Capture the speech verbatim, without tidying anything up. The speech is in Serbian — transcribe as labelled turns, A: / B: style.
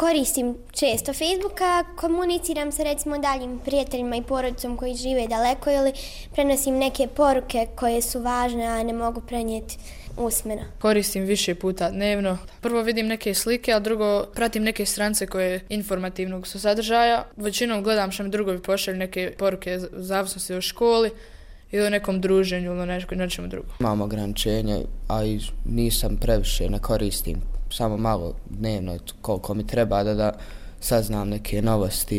A: koristim često Facebooka, komuniciram sa recimo daljim prijateljima i porodicom koji žive daleko ili prenosim neke poruke koje su važne, a ne mogu prenijeti usmeno.
B: Koristim više puta dnevno. Prvo vidim neke slike, a drugo pratim neke stranice koje informativnog su sadržaja. Većinom gledam što mi drugovi pošalju neke poruke u zavisnosti o školi ili o nekom druženju ili o nečemu drugom.
C: Imam ograničenje, a i nisam previše, ne koristim. Samo malo dnevno koliko mi treba da, da saznam neke novosti.